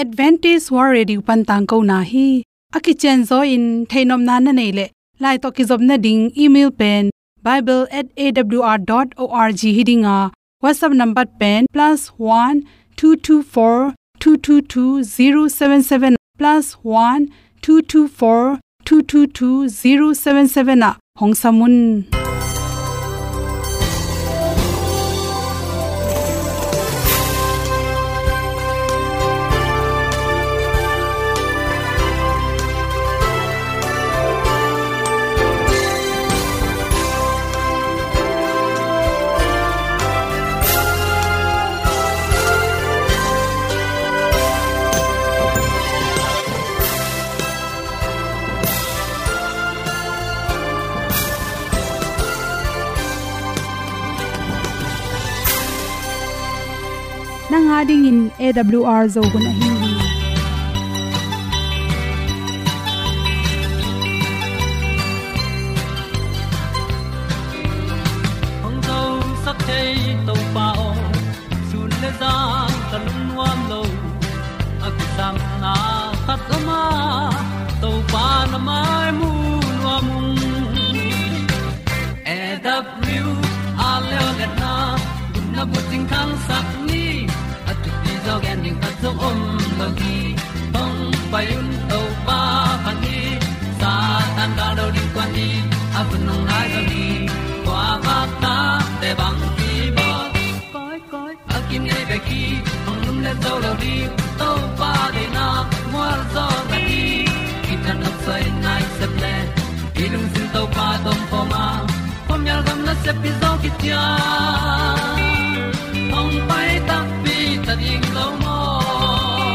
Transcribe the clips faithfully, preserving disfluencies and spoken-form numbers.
Adventist World Radio pan tangkona hi. A kicianzaw in theihnopna na neih leh, lai tawh kizopna ding email pen bible at A W R dot org hi ding a, WhatsApp number pen plus one two two four two two two zero seven seven, plus one two two four two two two zero seven seven ah hong sam un. Nang a dingin A W R Zo hun ahi hi. Hong zosak thei Topa aw, sun le zan ka lungnuam lo. A kisapna khat om a, Topa na mai mu nuam ung. A W R leo letna, gupna bucing thangsak ni. A thupi zaw gen ding khat zong om lo hi. Hong pai un Topa phat ni. Satan gal do ding kuan ni. A hun hong nai zaw ni. Kua bak ta te bang ki bawl. Koi, koi, a kinei bek hi, hong lum le zo lo ding, Topa deihna mual zaw na hi. Kithat nopsai nai sep le, i lungsim Topa tawh om khawm a, khuamial gam nasep hi zaw kician. Hong pai takpi ta ding lo maw?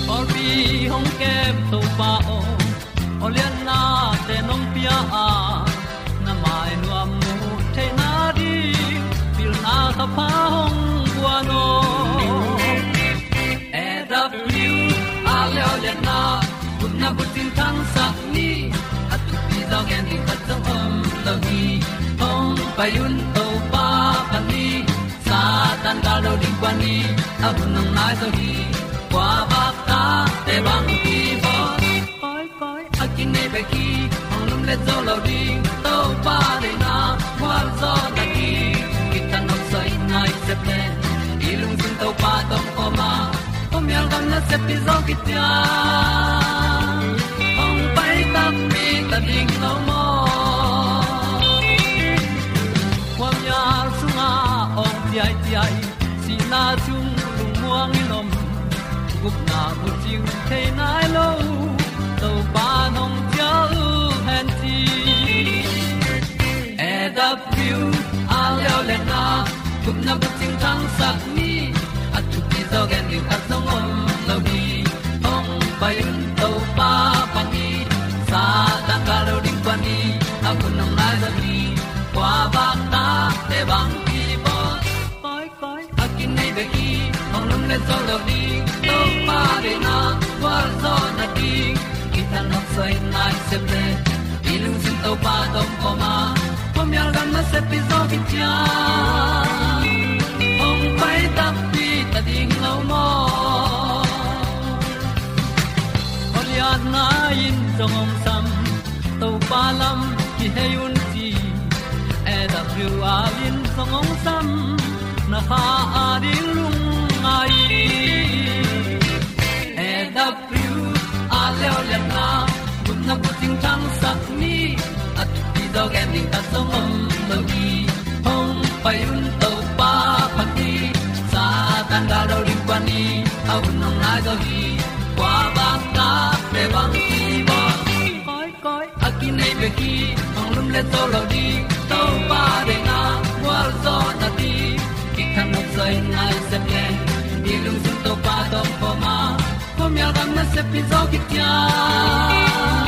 Pawlpi hong kem Topa aw, awliatnate nong pia a, na mai nuam mu theihna ding, pilna thapha hong guan aw. A W R leo letna, gupna bucing thangsak ni. A thupi zaw gen ding khat zong om lo hi. Hong pai un Topa phat ni. Satan gal do ding kuan ni. A hun hong nai zaw hi. Kua bak ta te bang ki bawl. Koi, koi, a kinei bek hi, hong lum le zo lo ding, Topa deihna mual zaw na hi. Kithat nopsai nai sep le, i lungsim Topa tawh om khawm a, khuamial gam nasep hi zaw kician. Hong pai takpi ta ding lo maw? Khuamial sungah awng ciaiciai, sihna sung lungmuang in om, gupna bucing thei nai lo, Topa nong ciah uh hen ci. A W R leo letna, gupna bucing thangsak ni. A thupi zaw gen ding khat zong om lo hi. Hong pai un Topa phat ni. Satan gal do ding kuan ni. A hun hong nai zaw hi. Kua bak ta te bang ki bawl. Koi, koi, a kinei bek hi, hong lum le zo lo ding, Topa deihna mual zaw na ding. Kithat nopsai nai sep le, i lungsim Topa tawh om khawm a, khuamial gam nasep hi zaw kician. Hong pai takpi ta ding lo maw? Awliatna in zong hong sam, Topa lam kihei un ci. A W R in zong hong sam, na kha a ding lungngai. A W R leo letna, gupna bucing thangsak ni. A thupi zaw gen ding khat zong om lo hi. Hong pai un Topa phat ni. Satan gal do ding kuan ni. A hun hong nai zaw hi. Kua bak ta te bang ki bawl. Koi, koi, a kinei bek hi, hong lum le zo lo ding, Topa deihna mual zaw na ding. Kithat nopsai nai sep le, i lungsim Topa tawh om khawm a, khuamial gam nasep hi zaw kician.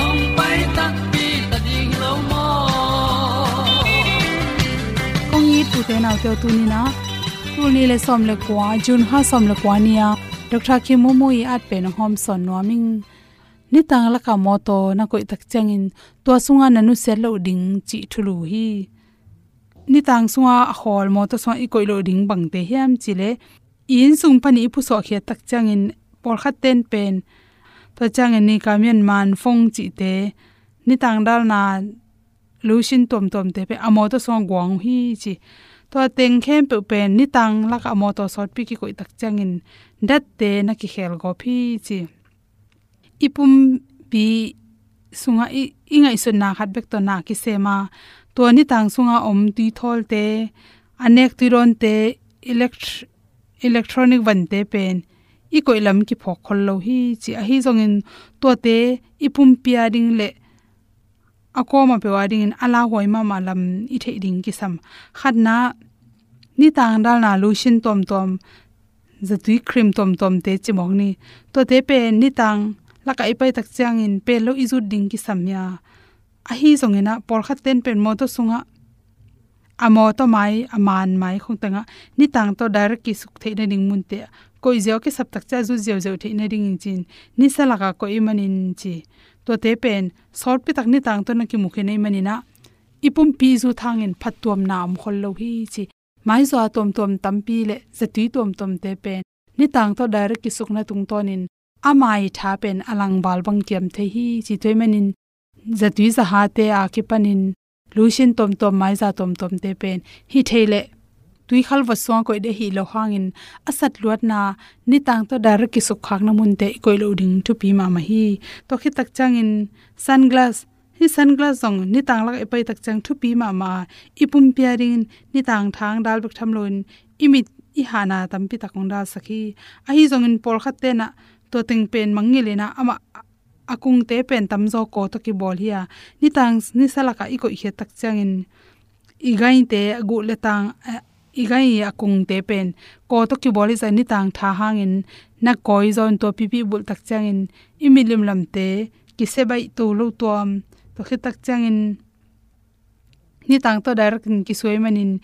Hong pai takpi ta ding lo maw? Kong it ute naute aw, tuni-in ah, tul nih le sawm le kua, June kha sawm le kua ni-a Doctor Khin Maw Maw i at pen hong hawmsawn nuam ing. Nitang lakah mawtaw na koih tak ciangin tua sungah na nusiat loh ding cih thulu hi. Nitang sungah a khawl mawtaw sungah i koih loh ding bangte hiam cih leh, i inn sung panin i pusuahkhiat tak ciangin pawlkhat ten pen, tua ciangin Nikamen, Manfong cihte, nitang dalna lotion tuamtuamte pen a mawtaw sungah guang uh hi ci. Tua teng khempeuh pen nitang lakah a mawtaw sawtpi kikoih tak ciangin datte na kikhel gawp hi ci. I pumpi sungah i, i ngaihsutna khat bek tawh na kisem a, tua nitang sungah om tuithawlte, a nek tuidawnte, elect-, electronic vante pen i koih lam kiphawk khol lo hi ci. Ahi zongin tuate i pumpi a ding le a kawm a peuh a dingin a lauhuai mahmah lam i theih ding kisam. Khatna, nitang dalna lotion tuamtuam, zatui cream tuamtuamte cimawk ni. Tuate pen nitang lakah i pai tak ciangin pen lo i zut ding kisam hi a. Ahi zongin ah, pawlkhat ten pen mawtaw sungah, a mawtaw mai, a man mai khong tengah nitang tawh direct kisuk theih nading munte ah koih ziau, kisap tak ciang zut ziauziau theih nadingin ci-in, nisa lakah koih ahih manin ci. Tuate pen sawtpi tak nitang tawh na kimu khin ahih manin ah, i pumpi zut hangin phattuamna om khol lo hi ci. Maizaw tuamtuam tampi le zatui tuamtuamte pen nitang tawh direct kisukna tungtawnin a mai tha pen a langval bang kiam thei hi ci. Tua ahih manin zatui zahate a kipanin lotion tuamtuam, maizaw tuamtuamte pen hih thei leh tuikhal vot sungah koih ding ahih loh hangin, a satluatna nitang tawh direct kisukkhakna munte i koih loh ding thupi mahmah hi. Tua khit tak ciangin sunglass, hih sunglass zong nitang lakah i pai tak ciang thupi mahmah a, i pumpi a dingin nitang thang dal bek tham loin i mit, i hahna tampi tak hong dalsak hi. Ahi zongin pawlkhat ten ah tua teng pen mangngilh in ah, amah a kungte pen tamzaw kaw tawh kibawl hi a, nitang nisa lakah i koihkhiat tak ciangin i gaite, a guh le tang, eh, i gai a kungte pen kaw tawh kibawl hi zah, nitang tha hangin na kawi zaw in tua pipi bulh tak ciangin i mit limlamte kisia baih to lo tuam. Tua khit tak ciangin nitang tawh direct in kisuai manin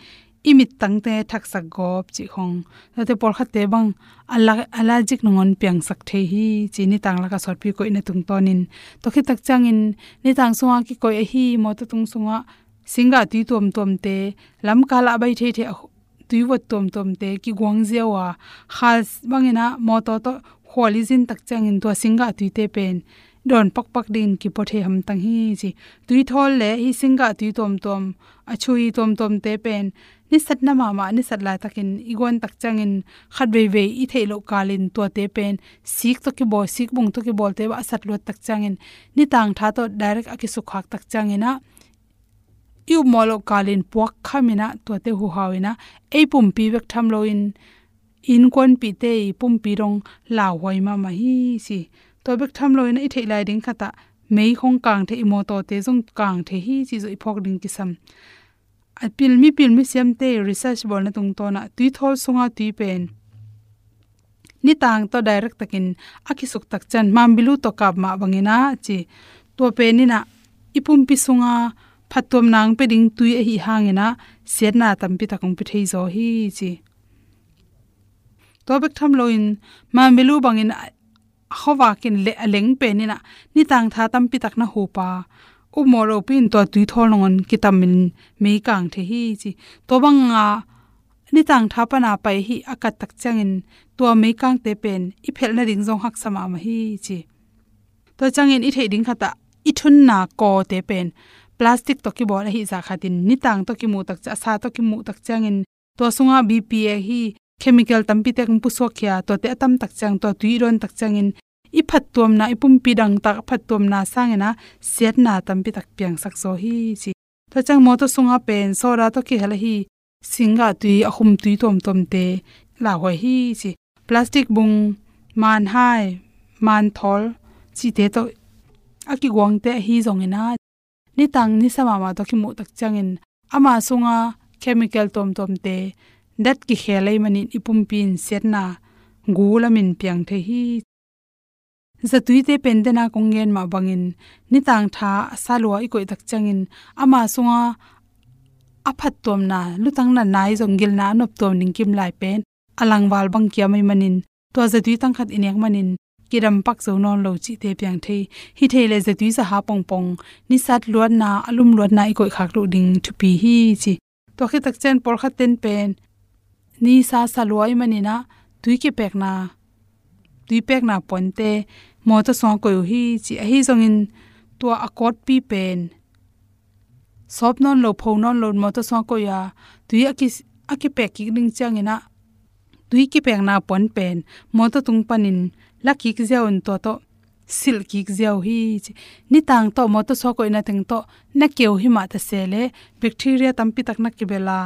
i mittangte thaksak gawp cih khong. Tuate pawlkhatte bang ala-, allergic nangawn piangsak thei hi ci, nitang lakah sawtpi koihna tungtawnin. Tua khit tak ciangin nitang sungah kikoih ahi mawtaw tung sungah singgah tui tuamtuamte, lamkal ah a bai theithei a tuivot tuamtuamte kiguang ziau a, khal bangin ah mawtaw tawh khual i zin tak ciangin tua singgah tuite pen dawn pakpak dingin kipua thei hamtang hi ci. Tuithawl le hih singgah tui tuamtuam, a chui tuamtuamte pen nisatna mahmah, nisat laitakin i guan tak ciangin khat veivei i theih loh kalin tuate pen sik tawh kibawl, sik bung tawh kibawlte bah a satluat tak ciangin, nitang tha tawh direct a kisukkhak tak ciangin ah i upmawh loh kalin puak khamin ah tuate huhau in ah, ei pumpi bek tham loin innkuanpihte i pumpi dong lauhuai mahmah hi ci. Tua bek tham loin ah i theih lai ding khatah mei khong kang thei, i mawtawte zong kang thei hi cih zong i phawk ding kisam. A pil, mipil misiamte research bawlna tungtawn ah tuithawl sunga tui pen nitang tawh direct takin a kisuk tak ciang, mambilu tawh kap mah bangin ah ci. Tua pen in ah i pumpi sunga phattuamna hong pia ding tui ahih hangin ah siatna tampi tak hong pia thei zaw hi ci. Tua bek tham loin mambilu bangin a, a khuavak in le a leng pen in ah nitang tha tampi tak na hup a, upmawh lopi in tua tuithawl nangawn kitamin mei kang thei hi ci. Tua banga nitang tha pana pai hih a kat tak ciangin tua meikangte pen i phelh nading zong haksa mahmah hi ci. Tua ciangin i theih ding khatah i thunna kawte pen plastic tawh kibawl ahih zah khatin nitang tawh kimuh tak ciang, a sa tawh kimuh tak ciangin tua sungah B P A hih chemical tampi tak hong pusuakkhia, tuate a tam tak ciang, tua tui i dawn tak ciangin i phattuamna, i pumpi dangtak a phattuamna sangin ah siatna tampi tak piangsak zaw hi ci. Tua ciang mawtaw sungah pen soda tawh kihel ahi singgah tui, a khum tui tuamtuamte lauhuai hi ci. Plastic bung, manhai, manthawl cihte tawh a kiguangte ahi zongin ah nitang nisa mahmah tawh kimuh tak ciangin ama sunga chemical tuamtuamte dat kikhel ahih manin i pumpi in siatna gu lamin piang thei hi. Zatuite pen dena kong gen mah bangin nitang tha a sa lua i koih tak ciangin ama sunga a phattuamna, lutang natna ahi zong gilna a noptuam ding kim lai pen a langval bang kiam ahih manin tua zatui tangkhat i nek manin kidam pak zo nawn lo cihte piang thei. Hih thei leh zatui zaha pongpong, nisat luatna, a lum luatna i koihkhak loh ding thupi hi ci. Tua khit tak ciang pawlkhat ten pen nisa sa lua ahih manin ah tui kipekna, tui pekna puante mawtaw sungah koih uh hi ci. Ahi zongin tua a kawtpi pen sawp nawn lo, pho nawn lo, mawtaw sungah koih a, tui a ki, a kipek kik ding ciangin ah tui kipekna puan pen mawtaw tung panin la kik ziau in tua tawh silh kik ziau hi ci. Nitang tawh mawtaw sungah koihna teng tawh na keu hi mah ta se leh bacteria tampi tak na kibel a,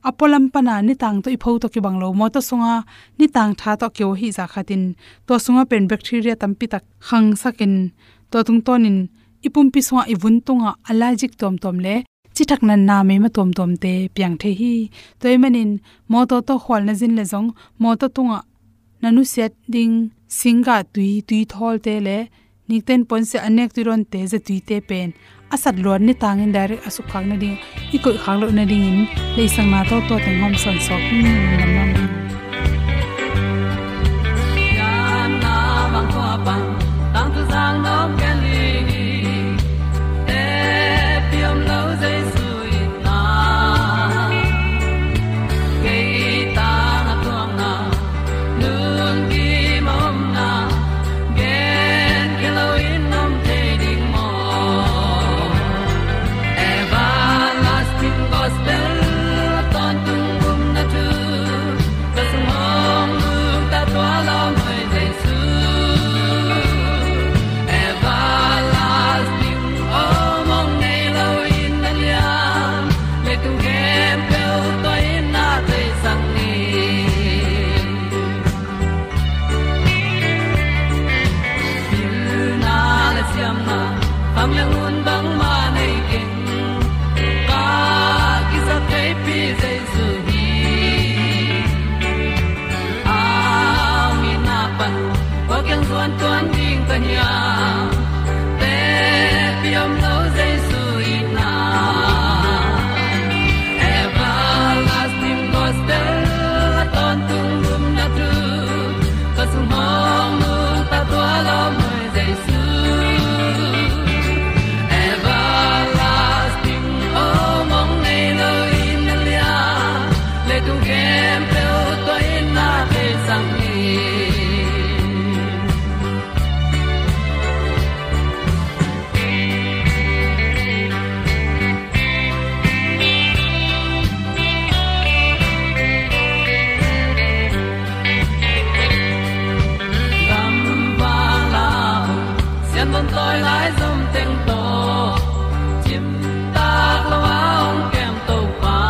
a pualam pana nitang tawh i pho tawh kibang lo, mawtaw sunga nitang tha tawh keu hi zah khatin tua sungah pen bacteria tampi tak khangsakin tua tungtawnin i pumpi sungah, i vun tungah allergic tuamtuam le cithak natna meima tuamtuamte piang thei hi. Tua ahih manin mawtaw tawh khual na zin leh zong mawtaw tungah na nusiat ding singgah tui, tui thawlte le nikten puansia a nek tui dawnte, zatuite pen a sat luat nitangin direct a sukkhak nading, i koihkhak loh nadingin leisakna tawh tua teng hawmsawn sawk hi. Lungdam mahmah. Pilna le siamna, kham le ngun bangmah nei keng. Ka kizat theipi Jesu hi. A mitna pan kua kiang zuan tuan ding ka hiam? Tepi om lo Jesu itna. Everlasting gospel a tawntung gumna thu ka sung hong nungta tua lawm Jesu. Everlasting, oh, mong nei lo in na lian, leitung khempeuh tua in na thei sang hi. Gamvang lam sianbon tawi lai zom teng tawh cimtak lo a hong kem Topa.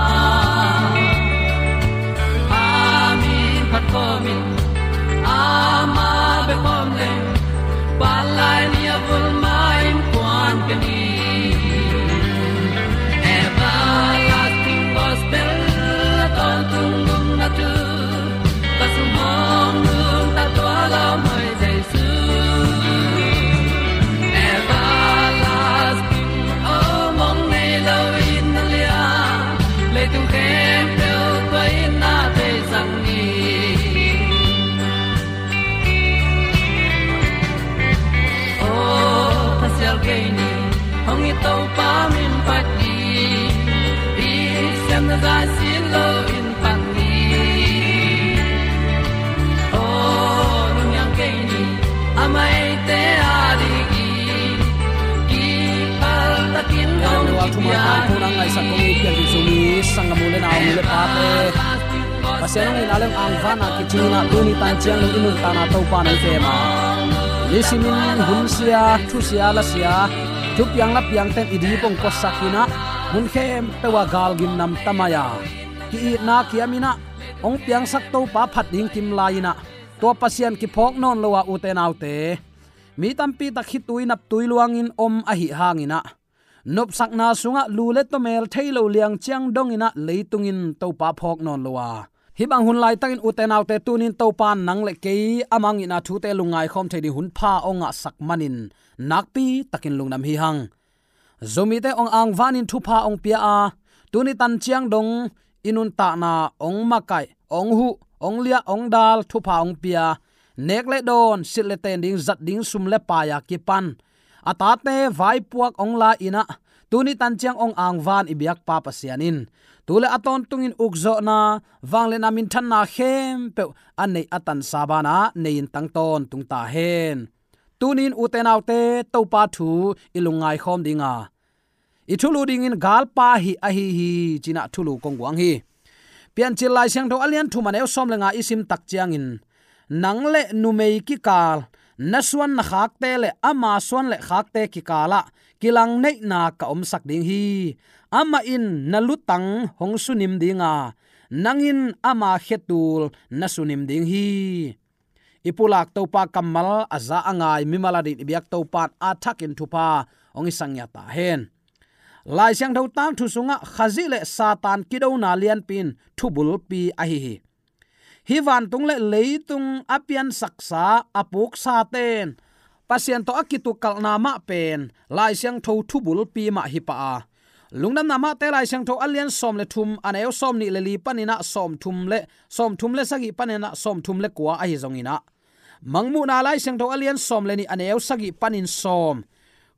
A min phat khawm in, amah bek khawm leng, pan lai ni a vul ma in kuan ka ni. Everlasting gospel a tawntung gumna thu ka sung hong nungta tua lawm Jesu. Everlasting, oh, mong nei lo in na lian, leitung khempeuh tua in na thei sang hi. Oh, thasial kei ni, hong i Topa min phat ni, i siamna zai sin lo in phat ni. Oh, lunghiang kei ni, a maite a ding i kipal takin hong kipia ni. Ngaihsak kong i pian ding Zomi sanggam u le nau, nu le pate, Pasian hong itna le hong angvana kicing a, tuni tanciang dong i nuntakna Topa na i kem a, nisimin hunsia, thusia, lasia, thupiang lapiangte in i dip hong kuasak in a, mun khempeuh ah galgim namta mai a, ki-itna kiam in a, hong piangsak Topa phat ding kim lai in a, tua Pasian kiphawk nawn lo a, ute naute, mi tampi tak khitui naptui luangin om ahih hangin a, nopsakna sungah lu le tawmel thei lo liang ciang dongin a, leitung in Topa phawk nawn lo a, hih bang hun laitakin ute naute, tuni in Topa in nang le kei a mang itna thute lungngai khawm thei ding hun pha hong ngahsak manin nakpi takin lungdam hi hang. Zomite hong angvanin thupha hong pia a, tuni tanciang dong i nuntakna hong makaih, hong huh, hong liah, hong dal, thupha hong pia, nek le dawn, silh le ten ding, zat ding sum le pai a kipan, a tate vaipuak hong la in a, Tuni tan ciang hong angvan i biakpa Pasian in tu le a tawntungin ukzawhna, vangliatna, minthanna khempeuh a neih a tansa banah nei-in tang tawntung ta hen. Tuni-in ute naute, Topa thu i lungngai khawm dinga, i thulu dingin galpa hih ahi hi, ci-inah thulu kong guang hi. Piancil Lai Siangtho a lian thum a neu sawm le nga i sim tak ciangin, nang le numei kikal, na suan na khakte le ama suan le khakte kikalah kilangneihna ka omsak ding hi. Amah in na lutang hong sunim dinga, nang in ama khetul na sunim ding hi. I pulak Topa kammal a za a ngai mimal adingin i biak Topa in a thakin thupha hong hisak ngiat ta hen. Lai Siangtho tangthu sungah Khazih le Satan kidona lianpi in thubulpi ahi hi. Hih vantung le leitung a piansaksa, a puksate in Pasian tawh a kitukalhna mah pen Lai Siangtho thubulpi mah hi pah a, Lungdamna Matthai Lai Siangtho a lian sawm le thum a neu sawm nih le li paninah sawm thum le, sawm thum le sagih paninah sawm thum le kua ahi zonginah, Mangmuhna Lai Siangtho a lian sawm le nih a neu sagih panin sawm,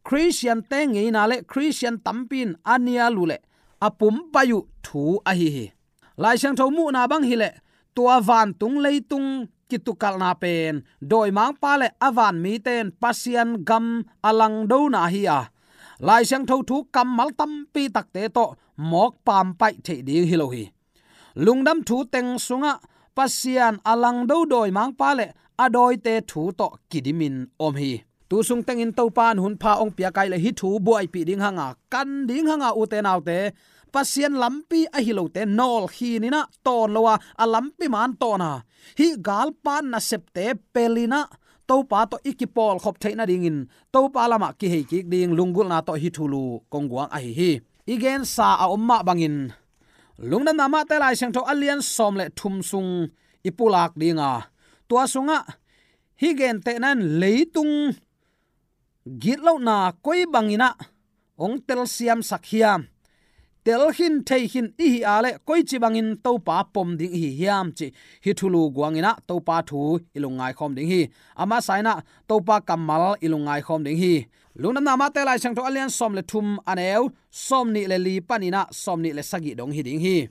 Khristiante ngeina le Khristian tampi in a nial uh le a pumpai uh thu ahi hi. Lai Siangtho muhna bang hileh tua vantung leitung kitukalhna pen dawimangpa le a vanmite in Pasian gam a langdona hi a, Lai Siangtho thu kammal tampi takte tawh mawk pampaih theih ding hi lo hi. Lungdam thu teng sungah Pasian a langdo dawimangpa le a dawite thu tawh kidimin om hi. Tu sung tengin Topa in hunpha hong piak a hih leh hih thu buaipih ding hanga, kan ding hanga, ute naute, Pasian lampi ahi lote nawlkhin inah, tawn lo a, a lampi man tawn a, hih galpa nasepte pel inah Topa tawh i kipawlkhop theih nadingin Topa lamah kihei kik ding lunggulhna tawh hih thulu kong guang ahi hi. I gensa a om mah bangin Lungdamna Matthai Lai Siangtho a lian sawm le thum sung i pulak dinga, tua sungah hih gentehna in leitung gitlohna koi banginah hong telsiamsak hiam, telkhin theikhin i hih a leh koici bangin Topa pom ding i hi hiam cih hih thulu guanginah Topa thu i lungngai khawm ding hi. A masa inah Topa kammal i lungngai khawm ding hi. Lungdamna Matthai Lai Siangtho a lian sawm le thum a neu sawm nih le li paninah sawm nih le sagih dong hi ding hi.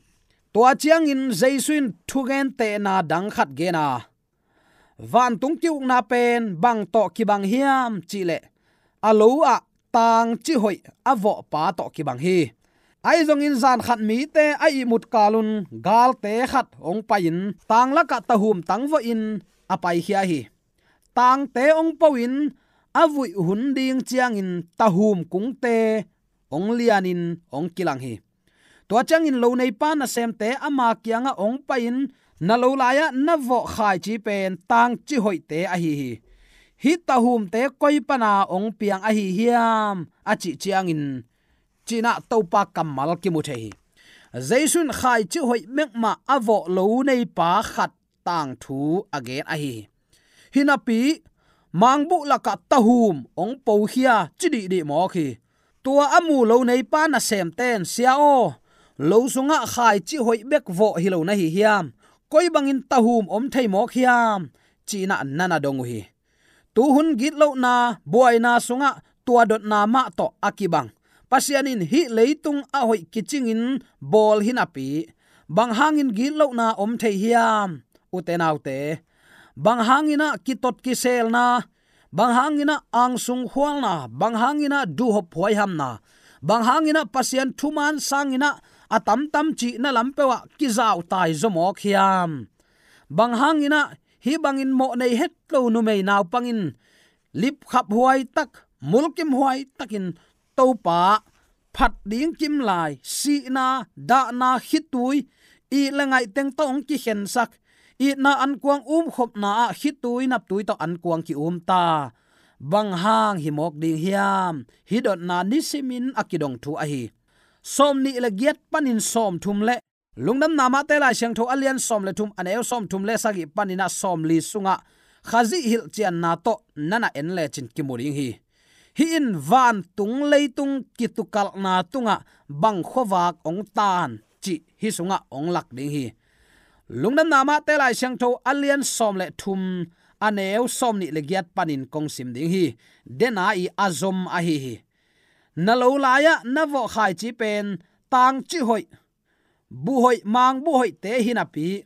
Tua ciangin Jesu in thugentehna dang khat gen a, vantung ki-ukna pen bang tawh kibang hiam cihleh, a lo ah tangci hoih a vawhpa tawh kibang hi. Ahi zongin zan khat mite a ihmut kalun galte khat hong pai-in tang lakah tahum tang vawhin a paikhia hi. Tangte hong po-in a vuih hun ding ciangin tahum kungte hong lianin hong kilang hi. Tua ciangin lo neipa nasemte ama kiangah hong pai-in, na lo lai-ah na vawh khaici pen tangci hoihte ahi hi. Hih tahumte koi pana hong piang ahi hiam, a cih ciangin, cinah Topa kammal kimu thei hi. Jesu in khaici hoih bek mah a vawh lo neipa khat tangthu a gen ahi hi. Hinapi mangbuh lakah tahum hong pokhia ci dihdih mawk hi. Tua a mu lo neipa nasemte in, "Sia aw, lo sungah khaici hoih bek vawh hi lo na hi hiam? Koi bangin tahum om thei mawk hiam?" cinah na na dong uh hi. Tuhun gitlohna, buaina sungah tua dotna mah tawh a kibang. Pasian in hih leitung a hoih kicingin bawl hi napi, bang hangin gitlohna om thei hiam, ute naute? Bang hanginah kitot kiselna, bang hanginah angsung khualna, bang hanginah duhhop huaihamna, bang hanginah Pasian thuman sanginah a tamtam cihna lampeuhah kizautai zaw mawk hiam? Bang hanginah hih bangin mawh nei het lo numei naupangin lipkhap huai tak, mulkim huai takin Topa phat ding kimlai, sihna, dahna, khitui, it le ngaih teng tawh hong kikhensak, itna ankuang umkhopna ah khitui naptui tawh ankuang ki-um ta. Bang hang hi mawk ding hiam? Hih dotna nisimin a kidong thu ahi. Sawm nih le giat panin sawm thum le Lungdamna Matthai Lai Siangtho a lian sawm le thum, a neu sawm thum le sagih paninah sawm li sungah Khazih hilhcianna tawh na na en lecin kimu ding hi. Hih in vantung leitung kitukalhna tungah bang khuavak hong tan cih hih sungah hong lak ding hi. Lungdamna Matthai Lai Siangtho a lian sawm le thum, a neu sawm nih le giat panin kong sim ding hi. Dena i a zom ahi hi. Na lo lai-ah na vawh khaici pen tangci hoih, buh hoih, mangbuh hoihte hi napi,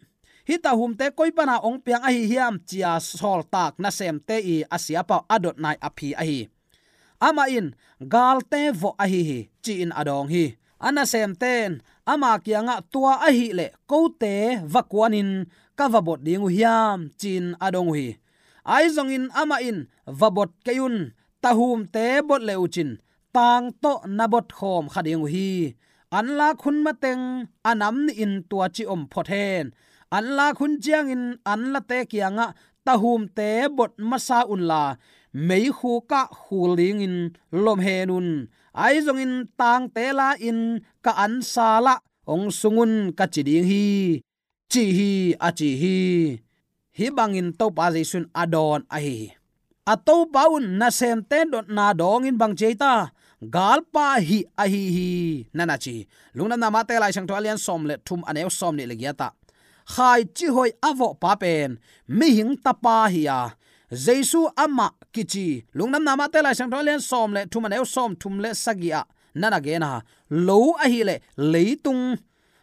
hih tahumte koi pana hong piang ahi hiam, ci-a sawltak nasemte i a siapa uh a dot nai a phi ahi. Amah in, galte vawh ahi hi, ci-in a dawng hi. A nasemte in ama kiangah, tua ahih leh kote va kuanin ka va bot ding uh hiam, ci-in a dong uh hi. Ahi zongin amah in, va bot kei un, tahumte bot le uhcin tang tawh na bot khawm kha ding uh hi. Anlak hun mateng a nam nihin tua ci om phot hen. Anlak hun ciangin anlate kiangah, tahumte bot masa unla, meikhuk ah khul dingin lom hen un. Ahi zongin tangte la-in ka ansa lah hong sung un, ka ci ding hi, ci hi, a ci hi. Hih bangin Topa Jesu in a dawn ahi hi. A Topa un nasemte dotna dawngin bang ci ei ta? Galpa hih ahi hi, na na ci hi. Lungdamna Mate Lai Siangtho a lian sawm le thum, a neu sawm nih le giat ah, khaici hoih a vawhpa pen mihing tapa hi a, Jesu amah kici, Lungdamna Mate Lai Siangtho a lian sawm le thum, a neu sawm thum le sagih ah na na gen a, lo ahih leh leitung.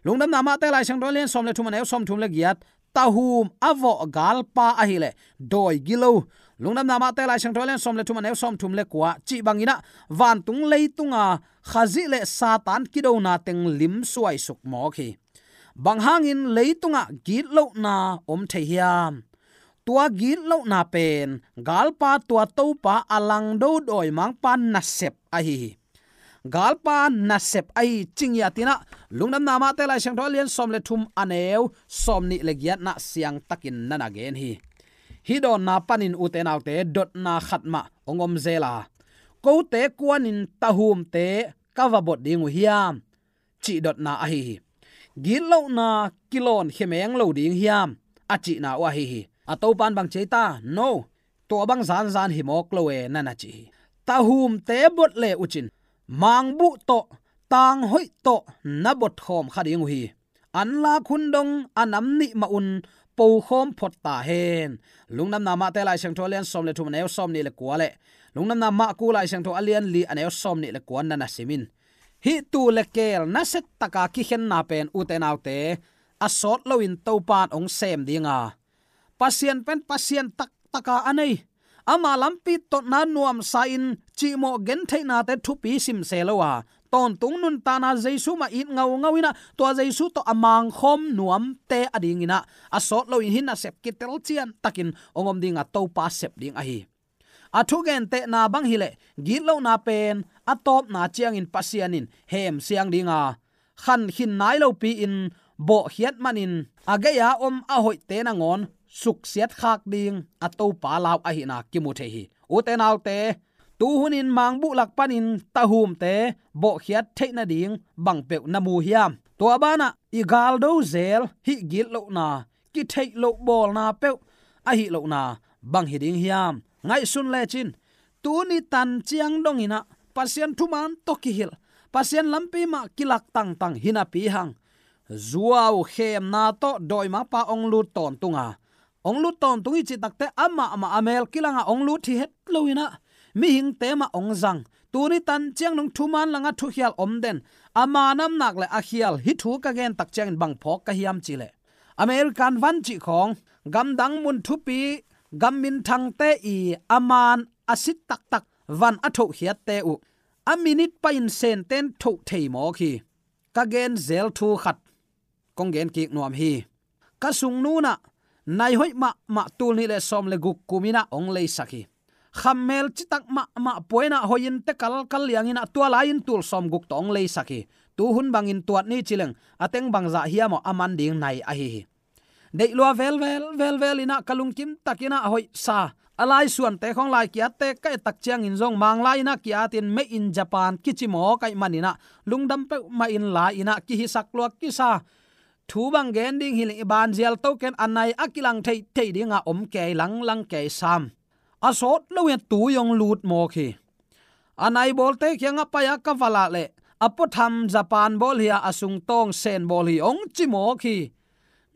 Lungdamna Mate Lai Siangtho a lian sawm le thum, a neu sawm thum le giat, tahum a vawh galpa ahih leh dawi gilo. Lungdamna Mate Lai Siangtho a lian sawm le thum, a neu sawm thum le kua, cih bangin ah vantung leitunga Khazih le Satan kidona teng limsuai suk mawk hi. Bang hangin leitungah gitlohna om thei hiam? Tua gitlohna pen galpa, tua Topa a langdo dawimangpa nasep ahi hi. Galpa nasep ahi ci ngiat in ah, Lungdamna Mate Lai Siangtho a lian sawm le thum, a neu sawm nih le giatna siangtakin na na gen hi. Hih dawnna panin, ute naute, dotna khat mah hong om zel a, kote kuanin tahumte ka va bot ding uh hiam, cih dotna ahi hi. Gitlohna kilawn khemeng lo ding hiam, a cihna uh ahi hi. A Topa in bang ci ei ta? No, tua bang zanzan hi mawk lo e, na na ci hi. Tahumte bot le uhcin mangbuh tawh, tanghoih tawh na bot khawm kha ding uh hi. Anlak hun dong a nam nih mah un pokhawm phot ta hen. Lungdamna Mate Lai Siangtho a lian sawm le thum, a neu sawm nih le kua le Lungdamna Marku Lai Siangtho a lian li, a neu sawm nih le kua na na sim in. Hih tuu le keel nasia taka kikhenna pen, ute naute, a sawt loin Topa in hong sem ding a, Pasian pen Pasian taktaka a nei, ama lampi totna nuamsa-in cihmawh gentheihnate thupi simse lo a, tawntung nuntakna Jesu mah it ngaungau in ah, tua Jesu tawh a mangkhawm nuamte adingin ah, a sawt loin hih nasep kitel ciantakin hong om ding a, Topa sep ding ahi. A thugentehna bang hileh, gitlohna pen a tawpna ciangin Pasian in hemsiang ding a, khankhin nai lopi-in bawhkhiat manin a gei-a om a hoihte nangawn suksiat khak ding a Topa lau ahihna kimu thei hi. Ute naute, tuhunin mangbuh lak panin tahumte bawhkhiat theih nading bangpeuh na mu hiam? Tua banah i galdo zel hih gitlohna, kitheih loh bawlna peuh ahih lohna bang hi ding hiam? Ngaihsun lecin, tuni tan ciang dongin ah Pasian thuman tawh kihilh, Pasian lampi mah kilak tangtang hi napi hang, zuau khemna tawh dawimangpa hong lut tawntung a, hong lut tawntung i cih takteh amah mah a mel kilang a hong lut hi het loin ah, mihingte mah hong zang. Tuni tan ciang dong thuman langah thukhial om den, ama namnak le a khial hih thu ka gen tak ciangin bang phawk ka hiam cih leh, American van cih khawng, gamdang mun thupi, gam minthangte i a man a sit taktak van a thohkhiatte uh, a minit pai-in Senten thoh thei mawk hi. Ka gen zel thu khat kong gen kik nuam hi. Ka sungnu in ah nai hoih mahmah tul nih le sawm le guk kum in ah hong leisak hi. Khammel citak mahmah pua in ah, hoih in te kalkal liang in ah, tua lai-in tul sawmguk tawh hong leisak hi. Tuhun bangin tuat ni ci leng, a teng bangzah hiam aw, a man ding nai ahi hi. Deih lua velvel, velvel in ah, ka lungkim takin ah hoihsa. A laisuante khawng, laikiatte ka et tak ciangin zong, Manglai in ah kiatin, Made in Japan kici mawk ahih manin ah, lungdam peuhmah in la in ah kihisak lua kisa. Thu bang gen ding hi leng, i banzial to ken, a nai a kilang theithei ding a om kei, langlang kei sam. A sawt loin tui hong lut mawk hi. A nai bawlte kiangah pai-a ka va lah leh, a puatham Japan bawl hi a, a sungtawng Sen bawl hi, hong ci mawk hi.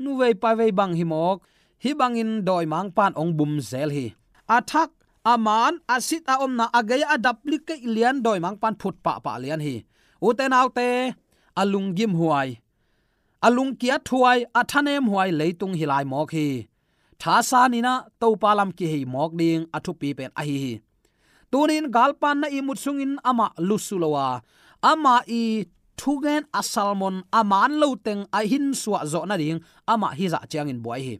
Nuvei pavei bang hi mawk, hih bangin dawimangpa in hong bum zel hi. A thak, a man a sit a omna a gei a duplicate lian dawimangpa'n phut pahpah lian hi. Ute naute, a lunggim huai, a lungkiat huai, a thanem huai leitung hi lai mawk hi. Thasan in ah Topa lam kihei mawk ding a thupi pen ahi hi. Tuni-in galpa'n na ihmut sungin amah lusu lo a, amah i thugen a sermon a man lo teng a hinsuah zawh nading amah hizah ciangin buai hi.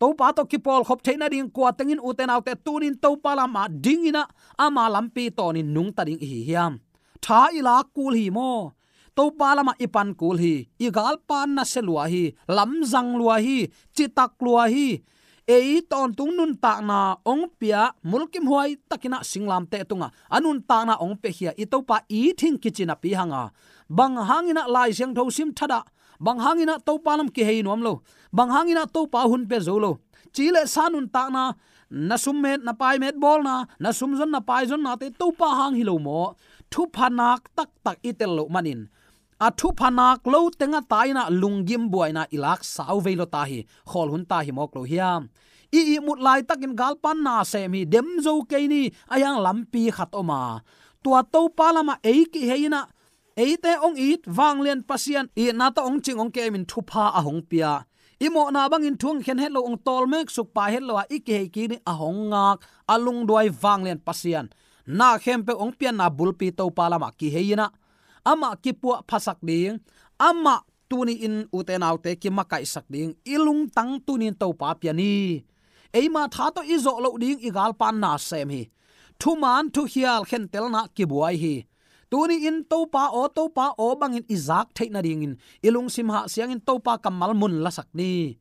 Topa tawh kipawlkhop theih nading kua teng in, ute naute, tuni-in Topa lamah dingin ah ama lampi tawnin nungta ding i hi hiam? Tha i lak kul hi maw? Topa lamah i pan kul hi. I galpa'n nasia lua hi, lamzang lua hi, citak lua hi. Ei tawntung nuntakna hong pia, mulkimhuai takin ah singlamteh tungah a nuntakna hong piakhia i Topa i thing kici napi hang a, bang hangin ah Lai Siangtho sim thadah, bang hangin ah Topa lam kihei nuam lo, bang hangin ah Topa hun pia zo lo, ci le sa nuntakna, na summet, na paimet bawlna, na sumzon, na paizonnate Topa hang hi lo maw? Thupha nak taktak i tel loh manin, a thupha nak lo teng a tai-in ah lunggim buaina i lak sau vei lo ta hi. Khawl hun ta hi mawk lo hiam? I ihmut laitakin galpa'n na sem hi, dem zo kei ni, a hiang lampi khat om a, tua Topa lamah ei kihei-in ah, eite hong it, vanglian Pasian itna tawh hong cing hong kemin thupha a hong pia, i mawhna bangin thu hong khen het lo, hong tawlmek suk pai het lo a, i kihei kik ni, a hong ngak, a lungduai vanglian Pasian, na khempeuh hong pianna bulpi Topa lamah kihei-in ah, amah kipuahphasak ding, amah tuni-in, ute naute, kimakaihsak ding i lungtang tuni-in Topa pia ni. Eima tha tawh i zawh loh ding i galpa'n na sem hi. Thuman thukhial khentelna kibuai hi. Tuni-in Topa aw, Topa aw bangin i zak theih nadingin i lungsim hah siangin Topa kammal mun lasak ni.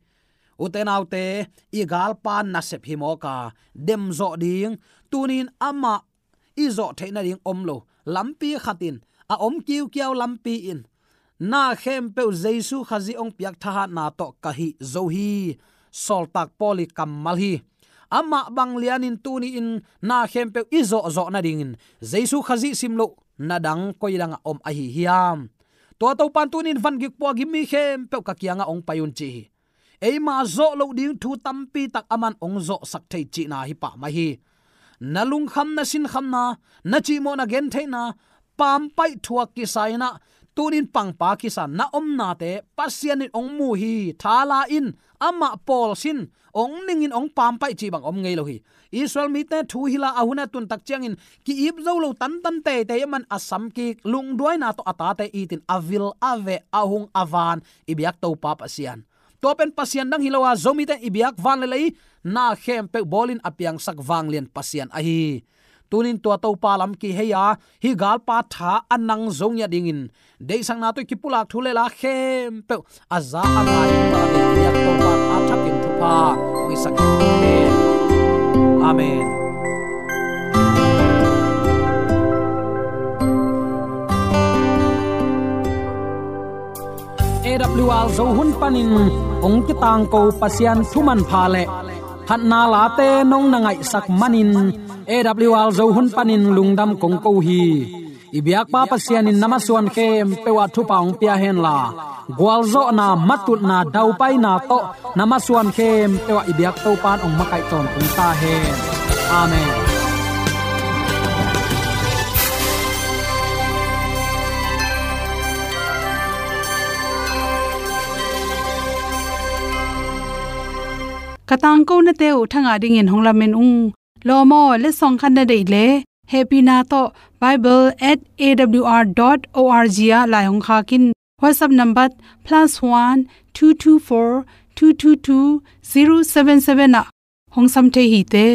Ute naute, i galpa'n nasep hi mawk a, dem zawh ding, tuni-in amah i zawh theih nading om lo, lampi khat in, a om kiukiau lampi in, na khempeuh Jesu Khazih hong piak thahatna tawh ka hih zo hi. Sawltak Paul i kammal hi. Amah bang lianin tuni-in na khempeuh i zawhzawh nadingin Jesu Khazih sim loh na dang koi dangah om ahi hiam? Tua Topa'n tuni-in vangik puak gim mi khempeuh ka kiangah hong pai un ci hi. Eima zawh loh ding thu tampi tak aman hong zawhsak thei cihna hi pah mai hi. Na lungkham, na sinkhamna, na cihmawh, na gentheihna, pampaih thuak kisa-in ah, tuni-in pangpa kisa na omnate Pasian in hong mu hi. Tha la in, amah pawl sin, hong ning in, hong pampaih cih bang om ngei lo hi. Israel mite thu hilh a, a hun a tun tak ciangin ki-ip zo lo, tantan teitei aman a sam kik, lungduaina tawh a tate it in, a vil a veh, a hung a van i biak Topa Pasian. Tua pen pasian dang hi lo a, Zomite in i biak van le lei na khempeuh bawlin a piangsak vanglian Pasian ahi. Tunin tua Topa lam kihei a, hih galpa tha a nang zo ngiat dingin, deihsakna tawh i kipulak thu le la khempeuh a za a ngai in, Topa lam i biak Topa a thakin thupha hong hisak hi. Amen. A W R Zo hun panin hong kitangko Pasian thu manpha le phatna late nong na ngaihsak manin, A W R Zo hun panin lungdam kong ko hi. I biakpa Pasian in na masuan khempeuh ah thupha hong pia henla, gualzawhna, matutna, daupaina tawh na masuan khempeuh ah i biak Topa'n hong makaih tawntung ta hen. Amen. Ka tangkonate uh thangah dingin hong lamen ung. Lawm aw, letsong khat na deih leh, hehpihna tawh bible at A W R dot O R G ah lai hong khak in. WhatsApp number plus one two two four two two two zero seven seven ah hong sam thei hi te.